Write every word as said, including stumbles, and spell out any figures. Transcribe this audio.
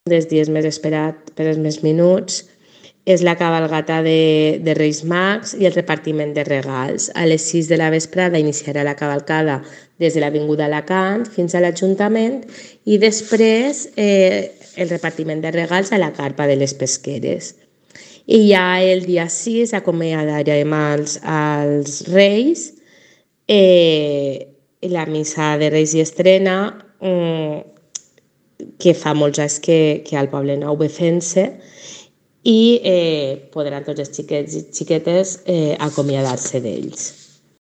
dels dies més esperat per els més menuts és la cabalgata de, de Reis Mags i el repartiment de regals. A les sis de la vesprada iniciarà la cavalcada des de l'Avinguda Alacant fins a l'Ajuntament i després eh, el repartiment de regals a la carpa de les Pesqueres. I ja el dia sis acomiadarem els, els Reis, eh, la missa de Reis i Estrena, eh, que fa molts anys que, que al Poble Nou ve fent-se, i eh, podran tots els xiquets i xiquetes eh, acomiadar-se d'ells.